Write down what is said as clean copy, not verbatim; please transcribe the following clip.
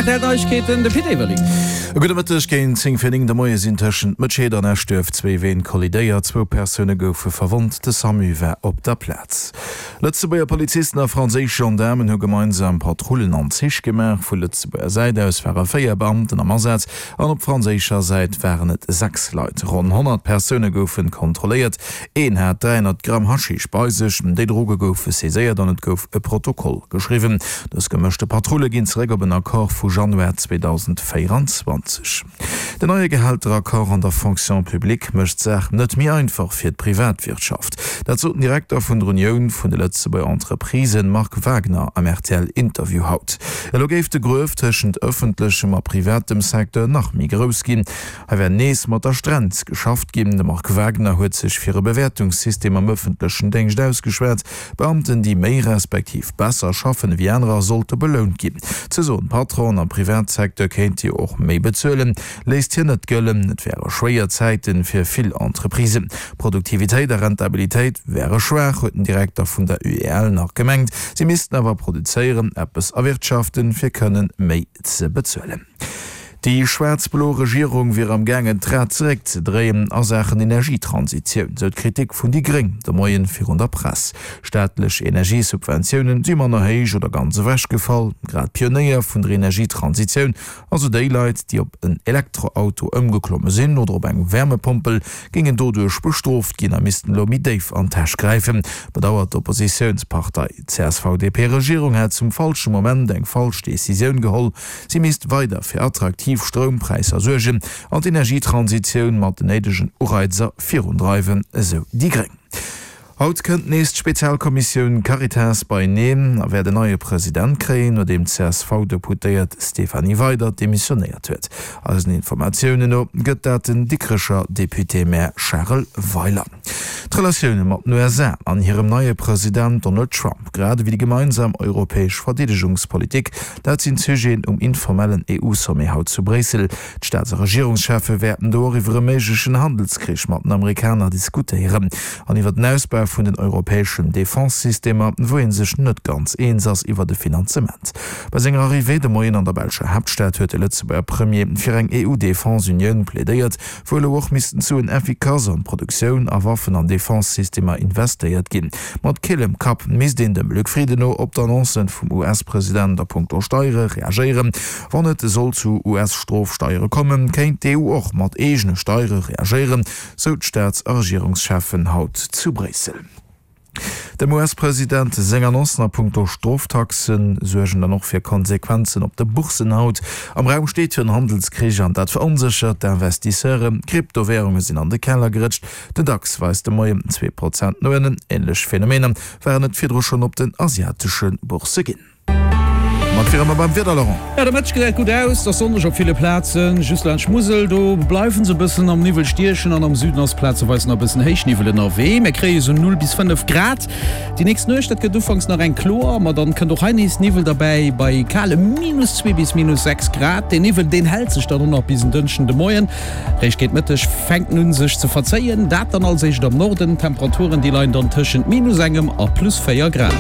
Rtl Neiegkeeten, de Pit Everling. E gudde Mëtteg. Géint 10 vir 9 de Moie sinn tëschent Mëtscheed an Eschduerf zwéi Ween kollidéiert. Zwou Persoune goufe verwonnt. De Samu war op der Plaz. Lëtzebuerger Polizisten a franséisch Gendaarmen hu gemeinsam Patrullen an Zich gemaach. Vu Lëtzebuerger Säit aus ware 4 Beamten am Asaz an op franséischer Säit waren et 6 Leit. Ronn 100 Persoune goufe kontrolléiert. Een hat 300 Gramm Haschisch bei sech. Déi Droge goufe saiséiert an et gouf e Protokoll geschriwwen. Dës gemëschte Patrulle ginn zeréck op en Accord vu Januar 2024. Den neie Gehälteraccord an der Fonction publique mécht d'Saach net méi einfach fir d'Privatwirtschaft. Dat sot den Direkter vun der Unioun vun de Lëtzebuerger Entreprisen, Marc Wagner, am RTL-Interview haut. Elo géif de Gruef tëschent ëffentlechem a privatem Secteur nach méi grouss ginn. Hei wär nees mat der Strenz geschafft ginn. De Marc Wagner huet sech fir e Bewäertungssystem am ëffentlechen Déngscht ausgeschwat. Beamten, déi méi respektiv besser schaffen ewéi anerer, sollte belount ginn. Ze soen, d'Patronen am Privatsecteur kéinte jo och méi bezuelen, léisst hien net gëllen. Et wäre schwéier Zäite fir vill Entreprisen. Produktivitéit a Rentabilitéit wäre schwaach, huet den Direkter vun der UEL nach gemengt. Si missten awer produzéieren, eppes erwirtschaften, fir kënnen méi ze bezuelen. Déi schwaarz-blo Regierung wier am gaangen d'Rad zeréck ze dréien a Saachen Energietransitioun, sou d'Kritik vun déi Gréng de Moien virun der Press. Staatlech Energiesubventiounen si manner héich oder ganz ewechgefall. Grad d'Pionéier vun der Energietransitioun, also déi Leit, déi op en Elektroauto ëmgeklomme sinn oder op eng Wärmepompel, géingen doduerch bestrooft ginn a missten elo méi déif an d'Täsch gräifen, bedauert d'Oppositiounspartei. D'CSV-DP-Regierung hätt zum falsche Moment eng falsch Decisioun geholl. Si misst weider fir attraktiv Stroumpräisser suergen an d'Energietransitioun mat den néidegen Ureizer virundreiwen, esou déi gréng. Haut kënnt nees d'Spezialkommissioun Caritas beieneen a wäert en neie President kréien, nodeem d'CSV-Deputéiert Stéphanie Weydert demissionéiert huet. Eisen Informatiounen no gëtt dat den Dikrecher Député-Maire Charel Weiler. D'Relatioune mat den USA an hirem neie President Donald Trump, grad ewéi déi gemeinsam europäesch Verdeedegungspolitik, dat sinn d'Sujeten um informellen EU-Sommet haut zu Bréissel. D'Staats a Regierungscheffe wäerten do och iwwer e méiglechen Handelskrich mat den Amerikaner diskutéieren an iwwer den Ausbau vun den europäeschen Defense-Systemer, wou ee sech net ganz eens ass iwwer de Finanzement. Bei senger Arrivée de Moien an der belscher Haaptstad huet de Lëtzebuerger Premier fir eng EU-Defense-Unioun plädéiert, wou elo och missten Suen effikass an d'Produktioun a Waffen an Defense-Systemer investéiert ginn. Mat killem Kapp misst een dem Luc Frieden no op d'Annoncen vum US-President a punkto Steiere reagéieren. Wann et soll zu US-Strofsteiere kommen, kéint d'EU och mat eegene Steiere reagéieren, sou d'Staats a Regierungscheffen haut zu Bréissel. Dem US-President seng Annoncen a punkto Stroftaxe suergen dann och fir Konsequenzen op de Bourssen haut. Am Raum steet jo en Handelskrich an dat veronséchert d'Investisseuren. D'Kryptowärunge sinn an de Keller gerëtscht. Den DAX weist de Moien 2 Prozent no ënnen. Änlech Phänomener waren et virdru schonn op den asiatesche Boursse ginn. Mat wiere mer beim Wieder, Laurent. Jo, de Mëtteg gesäit gutt aus, et ass sonneg op ville Plazen, just laanscht d'Musel, do bleiwen se e bëssen am Niwwel stiechen an am Süden ass plazeweis nach e bëssen Héichniwwel ënnerwee. Mir kréie sou 0 bis 5 Grad. Déi nächst Nuecht, dat gëtt ufanks nach eng kloer, ma dann kënnt och hei nees Niwwel derbäi bei kale minus 2 bis minus 6 Grad. Deen Niwwel, deen hält sech dann och nach bis en Dënschden de Moien. Réischt géint Mëtteg fänkt en un sech ze verzéien, dat dann als éischt am Norden. D'Temperaturen, déi leien dann tëschent minus engem a plus 4 Grad.